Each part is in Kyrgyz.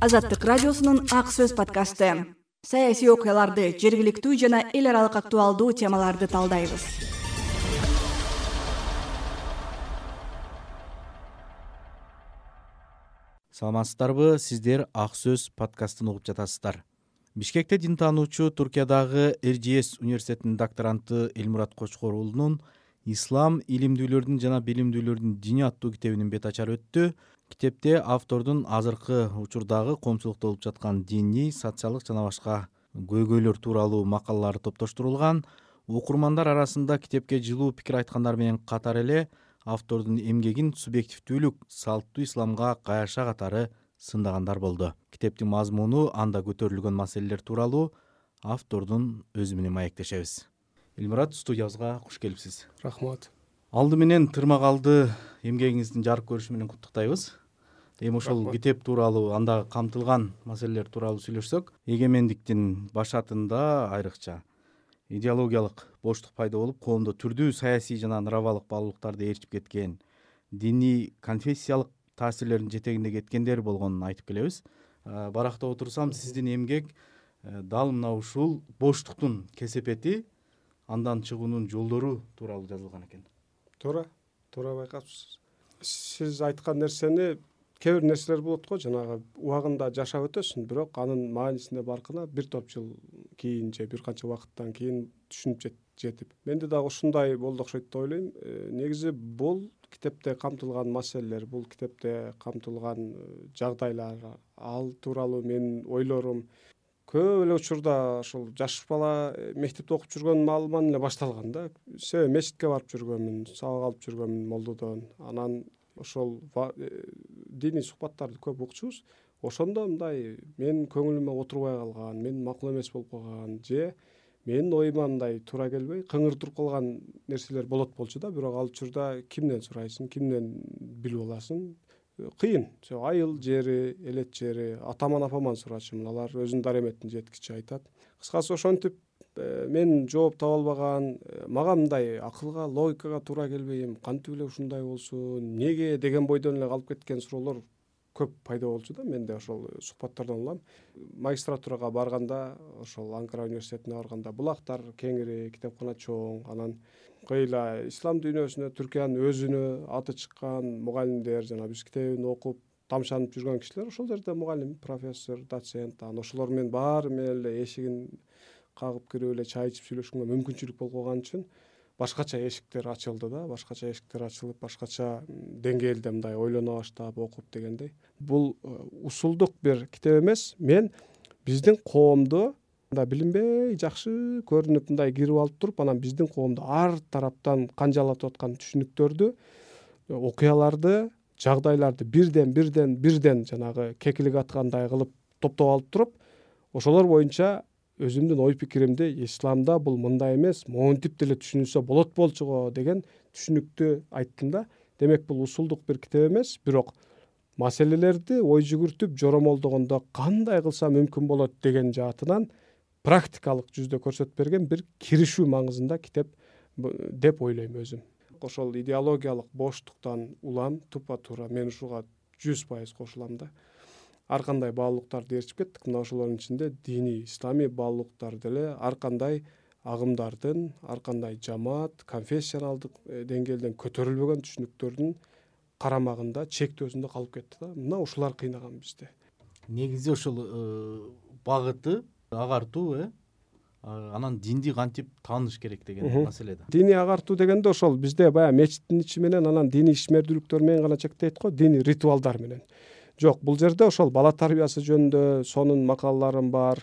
Азаттык радиосунун Ак сөз подкасты. Саясий окуяларды, жергиликтүү жана эл аралык актуалдуу темаларды талдайбыз. Саламатсыздарбы, сиздер Ак сөз подкастын угуп жатасыздар. Бишкекте дин таануучу Туркиядагы Эржиес университетинин докторанты Элмурат Кочкор уулунун «Ислам илимдүүлөрдүн жана билимдүүлөрдүн дини» аттуу китебинин бет ачары өттү. Китепте автордун азыркы учурдагы коомчулукта болуп жаткан диний, социалдык жана башка көйгөйлөр тууралуу макалалары топтоштурулган. Окурмандар арасында китепке жылуу пикир айткандар менен катар эле автордун эмгегин субъективдүүлүк, салттуу исламга каяша катары сындагандар болду. Китептин мазмуну, анда көтөрүлгөн маселелер тууралуу автордун өзү менен маектешебиз. Элмурат, студиябызга куш келипсиз. Рахмат. Алды менен тырмагалды эмгегиңиздин жарык көрүшү менен куттуктайбыз. Эми ошол китеп тууралуу, анда камтылган маселелер тууралуу сүйлөшсөк, эгемендиктин башатында айрыкча идеологиялык боштук пайда болуп, коомдо түрдүү саясий жана нравалык баалуулуктарды ээрчип кеткен, диний, конфессиялык таасирлердин жетегинде кеткендер болгонун айтып келебиз. Барактап отурсам, сиздин эмгек дал мына ушул боштуктун кесепети, андан чыгуунун жолдору тууралуу жазылган экен. Туура байкапсыз. Сиз айткан нерсени, кээ бир нерселер болот го, жанагы убагында жашап өтөсүң, бирок анын маанисине баркына бир топ жыл кийин же бир канча убакыттан кийин түшүнүп жетип. Менде дагы ушундай болду окшойт деп ойлойм. Негизи бул китепте камтылган маселелер, бул китепте камтылган жагдайлар, ал тууралуу менин ойлорум көп эле учурда ошол жаш бала мектепте окуп жүргөн маалыман эле башталган да. Себеби мечитке барып жүргөнмүн, сабак алып жүргөнмүн молдодон. Анан ошол диний сухбаттарды көп укчубуз. Ошондо мындай менин көңүлүмө отурбай калган, менин макул эмес болуп калган же менин оюма мындай туура келбей кыңыр туруп калган нерселер болот болчу да. Бирок ал учурда кимден сурайсың, кимден билип аласың? Кыйын. Айыл жери, элет жери, атаман апаман сурачумун. Алар өзүнүн дареметтин жеткичи айтат. Кыскасы ошентип мен жооп таба албаган, мага мындай акылга, логикага туура келбейм, кантип эле ушундай болсун, неге деген бойдон эле калып кеткен суроолор көп пайда болчу да менде ошол сухбаттардан улам. Магистратурага барганда, ошол Анкара университетине барганда, булактар кеңири, китепкана чоң, анан кыйла ислам дүйнөсүнө, Түркиянын өзүнө аты чыккан мугалимдер, жана биз китебин окуп тамшанып жүргөн кишилер ошол жерде мугалим, профессор, доцент, анан ошолор менен баары менен эле эшигин кагып кирип эле чай ичип сүйлөшкөнгө мүмкүнчүлүк болуп калган үчүн башкача эшиктер ачылды да, башкача эшиктер ачылып, башкача деңгээлде мындай ойлоно баштап, окуп дегендей. Бул усулдук бир китеп эмес. Мен биздин коомдо мындай билинбей жакшы көрүнүп мындай кирип алып туруп, анан биздин коомдо ар тараптан канжалатып аткан түшүнүктөрдү, окуяларды, жагдайларды бирден жанагы кекилик аткандай кылып топтоп алып туруп, ошолор боюнча өзүмдүн ой пикиримди исламда бул мындай эмес, монтип деле түшүнүлсө болот болчуго деген түшүнүктү айттым да. Демек бул усулдук бир китеп эмес, бирок маселелерди ой жүгүртүп жоромолдогондо кандай кылса мүмкүн болот деген жаатынан практикалык жүздө көрсөтүп берген бир киришүү маңызында китеп деп ойлойм өзүм. Ошол идеологиялык боштуктан улам тупа-туура мен ушуга 100% кошулам да. Ар кандай баалуулуктарды ээрчип кеттик. Мына ошолордун ичинде диний, исламий баалуулуктар деле ар кандай агымдардын, ар кандай жамаат, конфессионалдык деңгээлден көтөрүлбөгөн түшүнүктөрдүн карамагында, чектөөсүндө калып кетти да. Мына ушулар кыйнаган бизди. Негизи ошол багыты агартуу, анан динди кантип тааныш керек деген маселе да. Диний агартуу дегенде ошол бизде баягы мечиттин ичи менен, анан диний ишмердүүлүктөр менен гана чектейт го, диний ритуалдар менен. Жок, бул жерде ошол бала тарбиясы жөнүндө сонун макалаларым бар.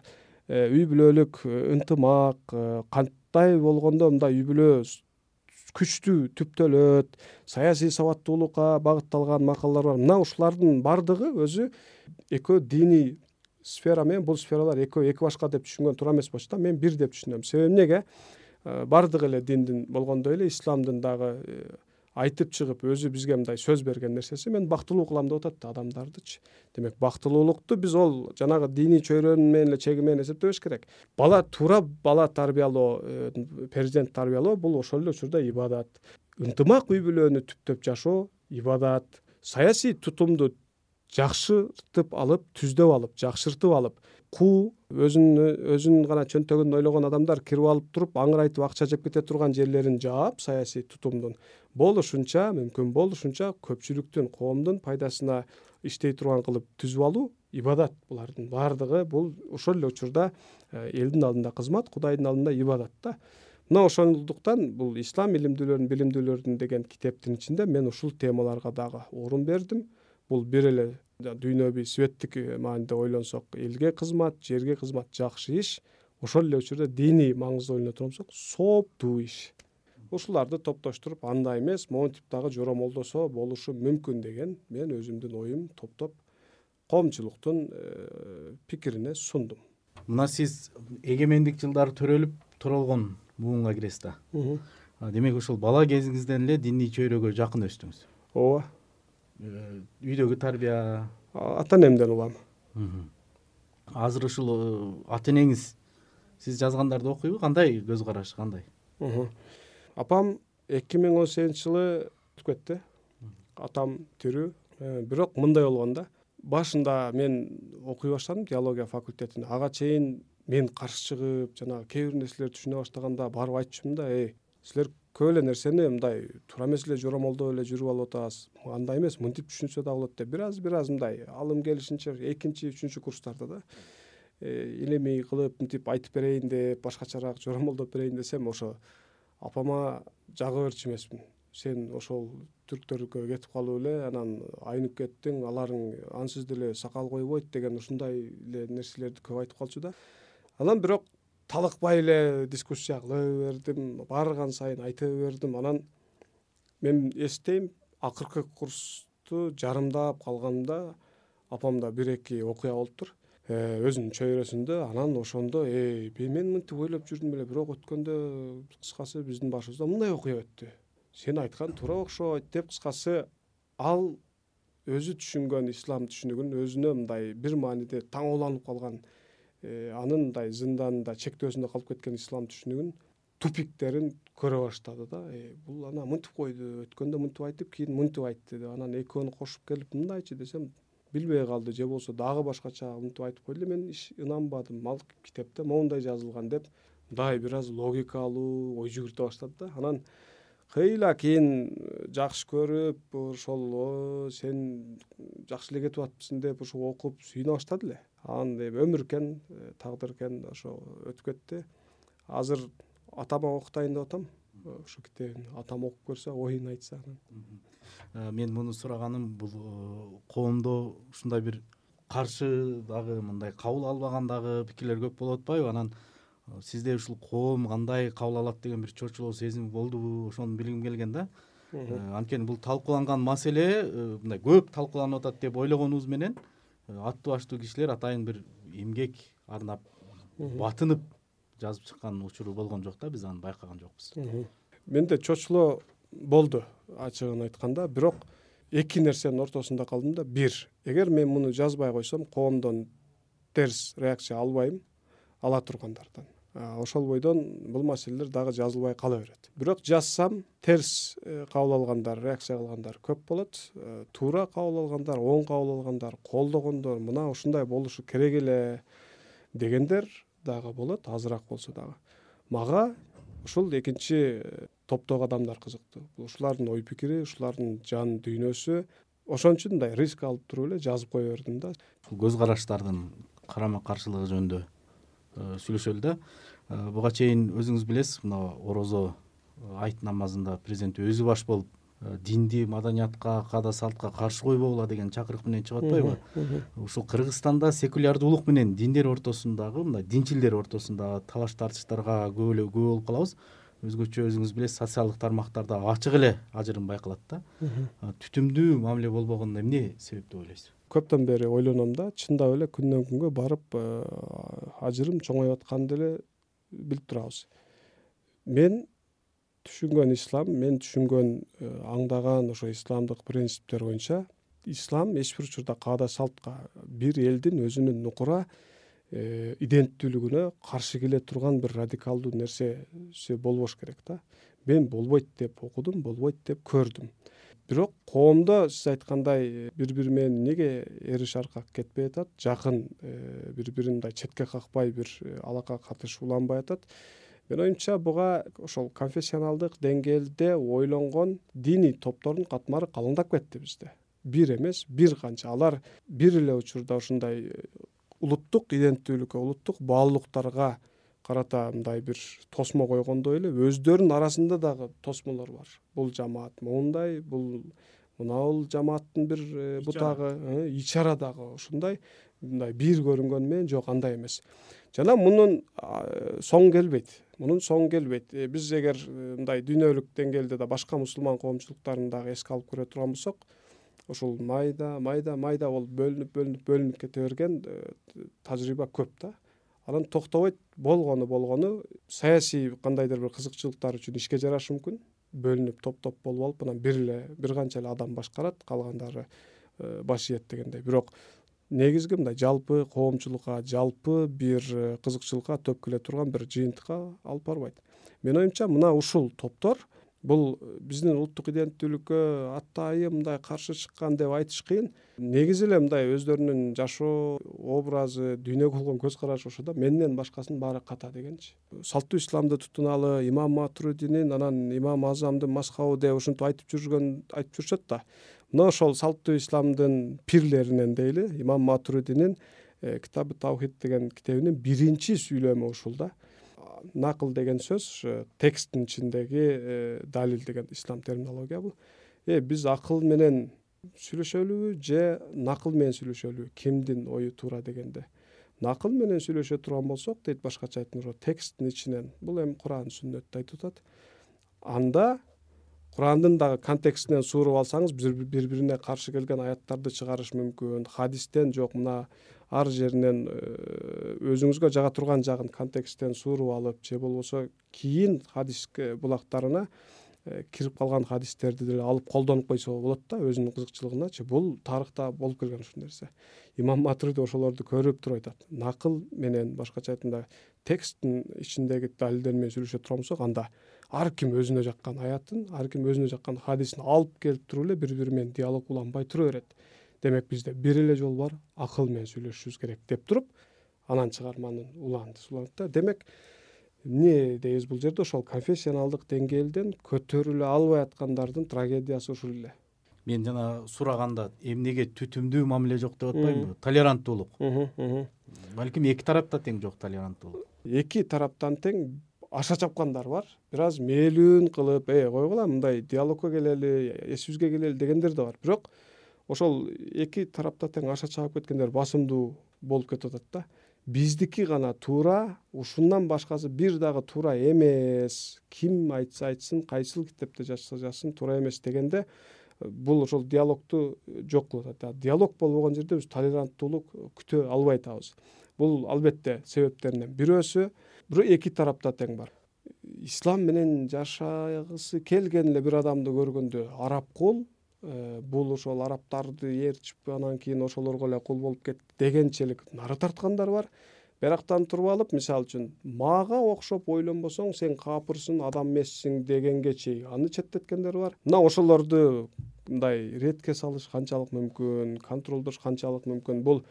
Үй бүлөлүк ынтымак, кандай болгондо мындай үй бүлө күчтүү түптөлөт, саясий сабаттуулукка багытталган макалалар бар. Мына ушулардын бардыгы өзү экөө диний сфера менен бул сфералар экөө эки башка деп түшүнгөн туура эмес болчу да. Мен бир деп түшүнөм. Себеби эмнеге? Бардыгы эле диндин болгондой эле исламдын дагы айтып чыгып өзү бизге мындай сөз берген нерсеси, мен бактылуу кылам деп атат да адамдардычы. Демек бактылуулукту биз ол жанагы диний чөйрөнүн менен эле чеги менен эсептебеш керек. Бала тарбиялоо, перзент тарбиялоо бул ошол эле учурда ибадат. Ынтымак үй бүлөнү түптөп жашоо ибадат. Саясий тутумду жакшыртып алып, түздөп алып, жакшыртып алып, өзүнүн гана чөнтөгүн ойлогон адамдар кирип алып туруп аңырайтып акча жеп кете турган жерлерин жаап, саясий тутумдун мүмкүн болушунча көпчүлүктүн, коомдун пайдасына иштей турган кылып түзүп алуу ибадат. Булардын баардыгы бул ошол эле учурда элдин алдында кызмат, Кудайдын алдында ибадат да. Мына ошондуктан бул ислам билимдүүлөрүн деген китептин ичинде мен ушул темаларга дагы орун бердим. Бул бир эле дүйнөбүй светтик мааниде ойлонсок элге кызмат, жерге кызмат жакшы иш, ошол эле учурда диний маңызды ойлоно турсак сооптуу иш. Ушуларды топтоштуруп андай эмес, монтип дагы жоромолдосо болушу мүмкүн деген мен өзүмдүн оюм топтоп коомчулуктун пикирине сундум. Мына сиз эгемендик жылдары төрөлүп туралган буунга киресиз да. Демек ушул бала кезиңизден эле диний чөйрөгө жакын өстүңүз. Ооба. Үйдөгү тарбия ата энемден улам. Азыр ушул ата энеңиз сиз жазгандарды окуйбу? Кандай көз карашы, кандай? Апам 2018-жылы өтүп кетти. Атам тирүү. Бирок мындай болгон да. Башында мен окуй баштадым теология факультетине. Ага чейин мен каршы чыгып, жанагы кээ бир нерселерди түшүнө баштаганда барып айтчумун да, силер көп эле нерсени мындай туура эмес эле жоромолдоп эле жүрүп алып атасыз. Андай эмес, мынтип түшүнсө да болот деп бир аз мындай алым келишинче экинчи, үчүнчү курстарда да илимий кылып мынтип айтып берейин деп, башкачараак жоромолдоп берейин десем, ошо апама жага берчү эмесмин. Сен ошол түрктөргө кетип калып эле анан айнып кеттиң, аларың ансыз деле сакал койбойт деген ушундай эле нерселерди көп айтып калчу да. Анан бирок талыкпай эле дискуссия кыла бердим, барган сайын айта бердим. Анан мен эстейм, акыркы курсту жарымдап калганда апамда бир-эки окуя болуптур. Өзүнүн чөйрөсүндө. Анан ошондо мен мынтип ойлоп жүрдүм эле, бирок өткөндө кыскасы биздин башыбызда мындай окуя өттү. Сен айткан туура окшойт деп, кыскасы ал өзү түшүнгөн ислам түшүнүгүн өзүнө мындай бир мааниде таңооланып калган, анын мындай зынданында, чектөөсүндө калып кеткен ислам түшүнүгүн тупиктерин көрө баштады да. Бул ана мынтип койду, өткөндө мынтип айтып, кийин мынтип айтты деп. Анан экөөнү кошуп келип мындайчы десем, билбей калды, же болбосо дагы башкача мынтип айтып койду. Мен ынанбадым. Ал китепте моундай жазылган деп, мындай бир аз логикалуу ой жүгүртө баштады да. Анан кыйла кийин жакшы көрүп, ошол сен жакшы эле кетип атыпсың деп ошо окуп сүйүнө баштады эле. Анан өмүр экен, тагдыр экен, ошо өтүп кетти. Азыр атама окутайын деп атам. Ошо китебин атам окуп көрсө, оюн айтса анан. Мен муну сураганым бул коомдо ушундай бир каршы дагы, мындай кабыл албаган дагы пикирлер көп болуп атпайбы? Анан сизде ушул коом кандай кабыл алат деген бир чочулоо сезими болдубу? Ошону билгим келген да. Анткени бул талкууланган маселе мындай көп талкууланып атат деп ойлогонубуз менен аттуу баштуу кишилер атайын бир эмгек арнап, батынып жазып чыккан учуру болгон жок да, биз аны байкаган жокпуз. Менде чочулоо болду, ачыгын айтканда. Бирок эки нерсенин ортосунда калдым да. Бир, эгер мен муну жазбай койсом, коомдон терс реакция албайм, ала тургандардан. Ошол бойдон бул маселелер дагы жазылбай кала берет. Бирок жазсам, терс кабыл алгандар, реакция кылгандар көп болот. Туура кабыл алгандар, оң кабыл алгандар, колдогондор, мына ушундай болушу керек эле дегендер дагы болот, азыраак болсо дагы. Мага ушул экинчи топтогу адамдар кызыктуу. Ушулардын ой пикири, ушулардын жан дүйнөсү. Ошон үчүн мындай риск алып туруп эле жазып кое бердим да. Көз караштардын карама каршылыгы жөнүндө сүйлөшөлү да. Буга чейин өзүңүз билесиз, мына орозо айт намазында президент өзү баш болуп динди, маданиятка, каада салтка каршы койбогула деген чакырык менен чыгып атпайбы? Ушул Кыргызстанда секулярдуулук менен диндер ортосундагы, мындай динчилдер ортосундагы талаш тартыштарга көп болуп калабыз. Өзгөчө өзүңүз билесиз, социалдык тармактарда ачык эле ажырым байкалат да. Түтүмдүү мамиле болбогонуна эмне себеп деп ойлойсуз? Көптөн бери ойлоном да, чындап эле күндөн күнгө барып ажырым чоңоюп атканды эле билип турабыз. Мен түшүнгөн ислам, мен түшүнгөн, аңдаган ошо исламдык принциптер боюнча, ислам эч бир учурда каада салтка, бир элдин өзүнүн нукура иденттүүлүгүнө каршы келе турган бир радикалдуу нерсеси болбош керек да. Мен болбойт деп окудум, болбойт деп көрдүм. бирок коомдо сиз айткандай бири бири менен эмнеге эриш аркак кетпей атат, жакын бири бирин мындай четке какпай бир алака катыш уланбай атат. Менин оюмча буга ошол конфессионалдык деңгээлде ойлонгон диний топтордун катмары калыңдап кетти бизде. Бир эмес, бир канча. Алар бир эле учурда ушундай улуттук иденттүүлүккө, улуттук баалуулуктарга карата мындай бир тосмо койгондой эле өздөрүнүн арасында дагы тосмолор бар. Бул жамаат моундай, бул мынабул жамааттын бир бутагы, ичара дагы ушундай мындай бир көрүнгөнү менен жок андай эмес. Жана мунун соң келбейт. Биз эгер мындай дүйнөлүк деңгээлде да башка мусулман коомчулуктарын дагы эске алып көрө турган болсок, ушул майда болуп бөлүнүп кете берген тажрыйба көп да. Анан токтобойт, болгону саясий кандайдыр бир кызыкчылыктар үчүн ишке жарашы мүмкүн. Бөлүнүп топ болуп алып, анан бир канча эле адам башкарат, калгандары баш ийет дегендей. Бирок негизги мындай жалпы коомчулукка, жалпы бир кызыкчылыкка төп келе турган бир жыйынтыкка алып барбайт. Менин оюмча мына ушул топтор бул биздин улуттук иденттүүлүккө атайын мындай каршы чыккан деп айтыш кыйын. Негизи эле мындай өздөрүнүн жашоо образы, дүйнөгө болгон көз карашы ошо да менден башкасынын баары ката дегенчи. Салттуу исламды тутуналы, имам Матуридинин, анан имам Азамдын мазхабы деп ушинтип айтып жүрүшөт да. Мына ошол салттуу исламдын пирлеринен дейли, имам Матуридинин Китабы Таухид деген китебинин биринчи сүйлөмү ушул да. Накыл деген сөз тексттин ичиндеги далил деген ислам терминология бул. Биз акыл менен сүйлөшөлүбү же накыл менен сүйлөшөлүбү, кимдин ою туура дегенде. Накыл менен сүйлөшө турган болсок, дейт башкача айтканда, тексттин ичинен, бул эми Куран, сүннөттү айтып атат. Анда Курандын дагы контекстинен сууруп алсаңыз, бири бирине каршы келген аяттарды чыгарыш мүмкүн. Хадистен жок, мына ар жеринен өзүңүзгө жага турган жагын контексттен сууруп алып, же болбосо кийин хадис булактарына кирип калган хадистерди деле алып колдонуп койсо болот да, өзүнүн кызыкчылыгыначы. Бул тарыхта болуп келген ушул нерсе. Имам Матуриди ошолорду көрүп туруп айтат. Накыл менен, башкача айтканда, тексттин ичиндеги далилдер менен сүйлөшө турган болсок, анда ар ким өзүнө жаккан аятын, ар ким өзүнө жаккан хадисин алып келип туруп эле бири бири менен диалог уланбай тура берет. Демек бизде бир эле жол бар, акыл менен сүйлөшүшүбүз керек деп туруп, анан чыгарманын уланат да. Демек эмне дейбиз бул жерде, ошол конфессионалдык деңгээлден көтөрүлө албай аткандардын трагедиясы ушул эле. Мен жана сураганда эмнеге түтүмдүү мамиле жок деп атпаймынбы? Толеранттуулук. Балким эки тарапта тең жок толеранттуулук. Эки тараптан тең аша чапкандар бар. Бир аз мээлүүн кылып, койгула, мындай диалогко келели, эсибизге келели дегендер да бар. Бирок ошол эки тарапта тең аша чаап кеткендер басымдуу болуп кетип атат да. Биздики гана туура, ушундан башкасы бир дагы туура эмес. Ким айтса айтсын, кайсыл китепте жазса жазсын, туура эмес дегенде бул ошол диалогду жок кылып атат. Диалог болбогон жерде биз толеранттуулук күтө албай атабыз. Бул албетте себептеринен бирөөсү, бирок эки тарапта тең бар. Ислам менен жашагысы келген эле бир адамды көргөндө араб кул, бул ошол арабтарды ээрчип, анан кийин ошолорго эле кул болуп кетти дегенчелик нары тарткандар бар. Бирактан туруп алып, мисалы үчүн, мага окшоп ойлонбосоң, сен капырсың, адам эмессиң дегенге чейин аны четтеткендер бар. Мына ошолорду мындай ретке салыш канчалык мүмкүн, контролдош канчалык мүмкүн, бул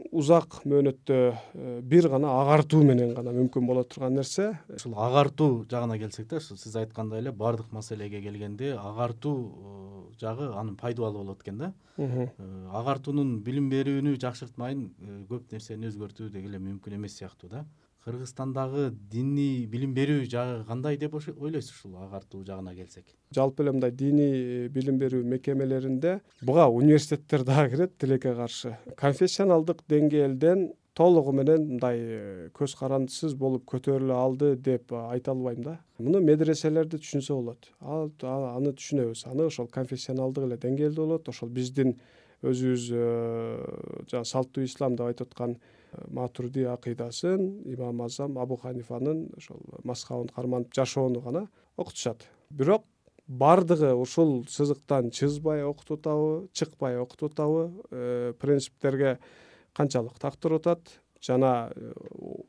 узак мөөнөттө бир гана агартуу менен гана мүмкүн боло турган нерсе. Ушул агартуу жагына келсек да, сиз айткандай эле бардык маселеге келгенде агартуу жагы анын пайдалуу болот экен да. Агартуунун билим берүүнү жакшыртмайын, көп нерсени өзгөртүү деги эле мүмкүн эмес сыяктуу да. Кыргызстандагы диний билим берүү жагы кандай деп ойлойсуз ушул агартуу жагына келсек? Жалпы эле мындай диний билим берүү мекемелеринде буга университеттер дагы кирет, тилекке каршы. Конфессионалдык деңгээлден толугу менен мындай көз карандысыз болуп көтөрүлө алды деп айта албайм да. Муну медреселерди түшүнсө болот. Аны түшүнөбүз. Аны ошол конфессионалдык эле деңгээлде болот. Ошол биздин өзүбүз жана салттуу ислам деп айтып аткан Матуриди акыйдасын, имам Азам, Абу Ханифанын ошол мазхабын карманып жашоону гана окутушат. Бирок бардыгы ушул сызыктан чыкпай окутуп атабы, принциптерге канчалык тактырып атат, жана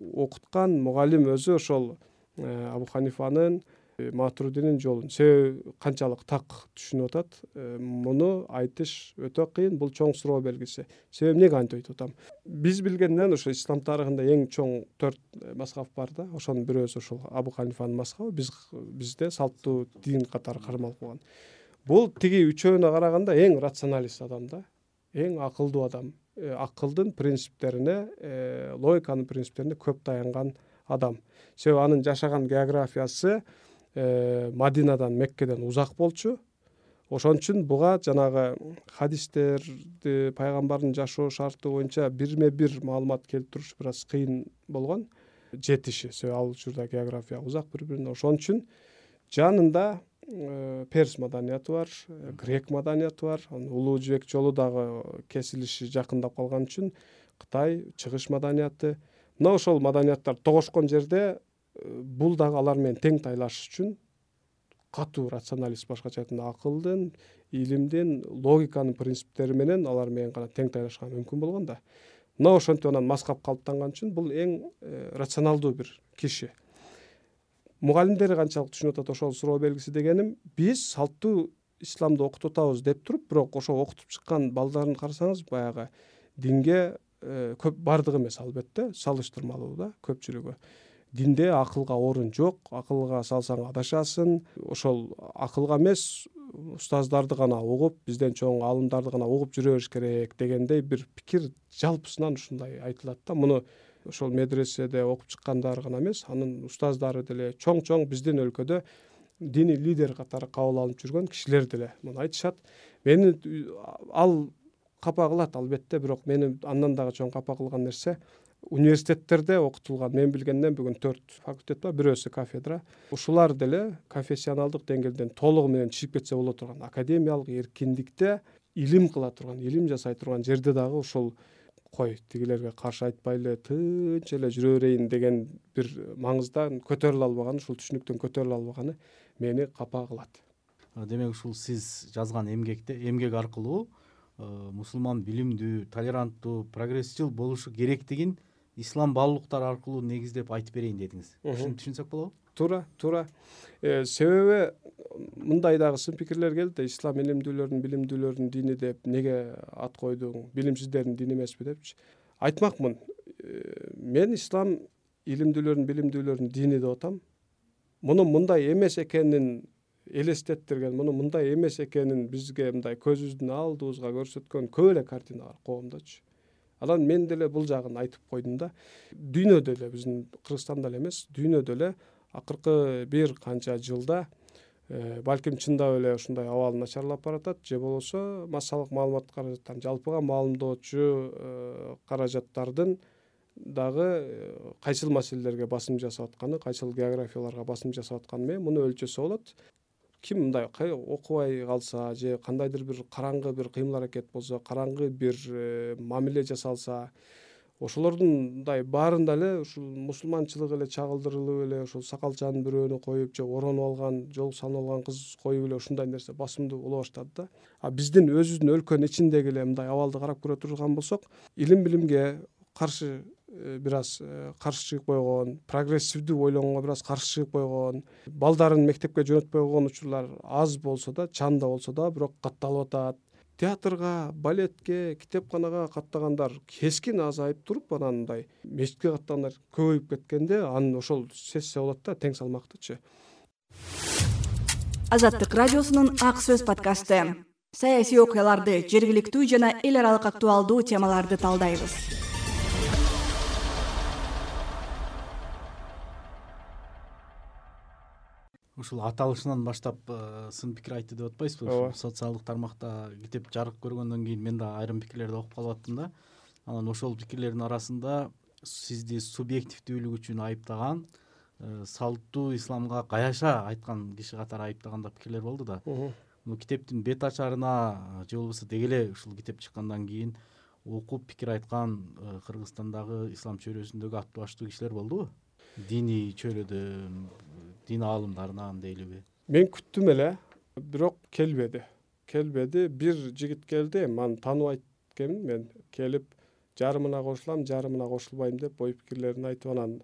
окуткан мугалим өзү ошол Абу Ханифанын Матуридинин жолун себеби канчалык так түшүнүп атат, муну айтыш өтө кыйын. Бул чоң суроо белгиси. Себеби эмнеге антип айтып атам? Биз билгенден ошо ислам тарыхында эң чоң 4 мазхаб бар да. Ошонун бирөөсү ушул Абу Ханифанын мазхабы. Бизде салттуу дин катары кармалып калган. Бул тиги үчөөнө караганда эң рационалист адам да, эң акылдуу адам. Акылдын принциптерине, логиканын принциптерине көп таянган адам. Себеби анын жашаган географиясы Мадинадан, Меккеден узак болчу. Ошон үчүн буга жанагы хадистерди, пайгамбардын жашоо шарты боюнча бирме-бир маалымат келтириш бир аз кыйын болгон жетиши. Себеби ал учурда география узак бири-бирине. Ошон үчүн жанында перс маданияты бар, грек маданияты бар. Улуу жибек жолу дагы кесилиши жакындап калган үчүн Кытай, чыгыш маданияты. Мына ошол маданияттар тогошкон жерде бул дагы алар менен тең тайлашыш үчүн катуу рационалист, башкача айтканда акылдын, илимдин, логиканын принциптери менен алар менен гана тең тайлашкан мүмкүн болгон да. Мына ошентип анан мазхаб калыптанган үчүн бул эң рационалдуу бир киши. Мугалимдери канчалык түшүнүп атат, ошол суроо белгиси дегеним, биз салттуу исламды окутуп атабыз деп туруп, бирок ошо окутуп чыккан балдарын карасаңыз, баягы динге көп бардыгы эмес, албетте салыштырмалуу да көпчүлүгү. Динде акылга орун жок, акылга салсаң адашасың. Ошол акылга эмес, устаздарды гана угуп, бизден чоң аалымдарды гана угуп жүрө бериш керек дегендей бир пикир жалпысынан ушундай айтылат да. Муну ошол медреседе окуп чыккандар гана эмес, анын устаздары деле чоң биздин өлкөдө диний лидер катары кабыл алынып жүргөн кишилер деле муну айтышат. Мени ал капа кылат албетте, бирок мени андан дагы чоң капа кылган нерсе университеттерде окутулган. Мен билгенден бүгүн 4 факультет бар, бирөөсү кафедра. Ушулар деле профессионалдык деңгээлден толугу менен чыгып кетсе боло турган, академиялык эркиндикте илим кыла турган, илим жасай турган жерде дагы ушул кой тигилерге каршы айтпайлы тынч эле жүрө берейин деген бир маңыздан көтөрүлө албаганы, ушул түшүнүктөн көтөрүлө албаганы мени капа кылат. Демек ушул сиз жазган эмгек аркылуу мусулман билимдүү, толеранттуу, прогрессчил болушу керектигин ислам баалуулуктары аркылуу негиздеп айтып берейин дедиңиз. Ушуну түшүнсөк болобу? Туура. Себеби мындай дагы сын пикирлер келди да, ислам билимдүүлөрүнүн дини деп неге ат койдуң, билимсиздердин дини эмеспи депчи. Айтмакмын, мен ислам билимдүүлөрүнүн дини деп атам. Муну мындай эмес экенин элестеттирген, муну мындай эмес экенин бизге мындай көзүбүздүн алдыбызга көрсөткөн көп эле картина бар коомдочу. Анан мен деле бул жагын айтып койдум да. Дүйнөдө эле, биздин Кыргызстанда эле эмес, дүйнөдө эле акыркы бир канча жылда балким чындап эле ушундай абал начарлап баратат, же болбосо массалык маалымат каражаттарын жалпыга маалымдоочу каражаттардын дагы кайсыл маселелерге басым жасап атканы, кайсыл географияларга басым жасап атканы менен муну өлчөсө болот. Ким мындай окубай калса же кандайдыр бир караңгы бир кыймыл аракет болсо, караңгы бир мамиле жасалса, ошолордун мындай баарында эле ушул мусулманчылык эле чагылдырылып эле, ушул сакалчанын бирөөнү коюп же оронуп алган, жол салынып алган кыз коюп эле ушундай нерсе басымдуу боло баштады да. А биздин өзүбүздүн өлкөнүн ичиндеги эле мындай абалды карап көрө турган болсок, билимге каршы бир аз каршы чыгып койгон, прогрессивдүү ойлогонго бир аз каршы чыгып койгон, балдарын мектепке жөнөтпөй койгон учурлар аз болсо да, чанда болсо да, бирок катталып атат. Театрга, балетке, китепканага каттагандар кескин азайып туруп, анан мындай мечитке каттагандар көбөйүп кеткенде, анын ошол сессия болот да, тең салмактычы. Азаттык радиосунун Ак сөз подкасты. Саясий окуяларды, жергиликтүү жана эл аралык актуалдуу темаларды талдайбыз. Ушул аталышынан баштап сын пикир айтты деп атпайсызбы? Ушул социалдык тармакта китеп жарык көргөндөн кийин мен да айрым пикирлерди окуп калып аттым да. Анан ошол пикирлердин арасында сизди субъективдүүлүк үчүн айыптаган, салттуу исламга каяша айткан киши катары айыптаган да пикирлер болду да. Бул китептин бет ачарына же болбосо деги эле ушул китеп чыккандан кийин окуп пикир айткан Кыргызстандагы ислам чөйрөсүндөгү аттуу баштуу кишилер болдубу? Диний чөйрөдө дин аалымдарынан дейлиби? Мен күттүм эле, бирок келбеди. Бир жигит келди, аны тааныбайт экенмин. Мен келип жарымына кошулам, жарымына кошулбайм деп ой пикирлерин айтып, анан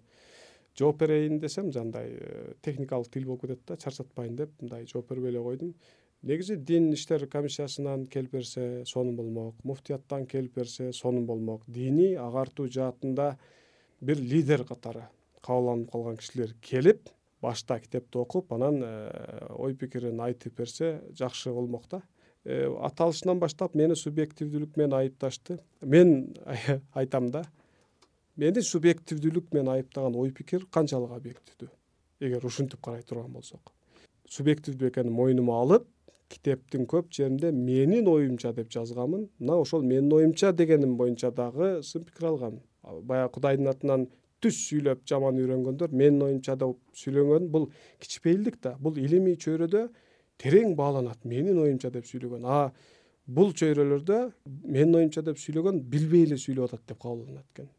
жооп берейин десем жандай техникалык тил болуп кетет да, чарчатпайын деп мындай жооп бербей эле койдум. Негизи дин иштер комиссиясынан келип берсе сонун болмок, муфтияттан келип берсе сонун болмок. Диний агартуу жаатында бир лидер катары кабыл алынып калган кишилер келип башта китепти окуп анан ой пикирин айтып берсе жакшы болмок да. Аталышынан баштап мени субъективдүүлүк менен айыпташты. Мен айтам да, мени субъективдүүлүк менен айыптаган ой пикир канчалык объективдүү? Эгер ушинтип карай турган болсок, субъективдүү экенин мойнума алып, китептин көп жеринде менин оюмча деп жазганмын. Мына ошол менин оюмча дегеним боюнча дагы сын пикир алгам. Баягы Кудайдын атынан түз сүйлөп жаман үйрөнгөндөр менин оюмча деп сүйлөгөн бул кичпейилдик да. Бул илимий чөйрөдө терең бааланат. Менин оюмча деп сүйлөгөн. Бул чөйрөлөрдө менин оюмча деп сүйлөгөн билбей эле сүйлөп атат деп кабыл алынат экен.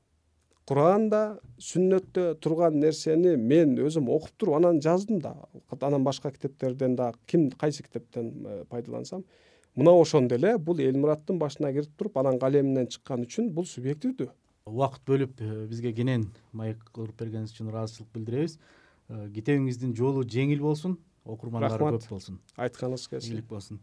Куранда, сүннөттө турган нерсени мен өзүм окуп туруп анан жаздым да. Анан башка китептерден да кайсы китептен пайдалансам, мына ошондо эле бул Элмураттын башына кирип туруп анан калеминен чыккан үчүн бул субъективдүү. Убакыт бөлүп бизге кенен маек кылып бергениңиз үчүн ыраазычылык билдиребиз. Китебиңиздин жолу жеңил болсун, окурмандары көп болсун. Айтканыңыз келсин. Ийгилик болсун.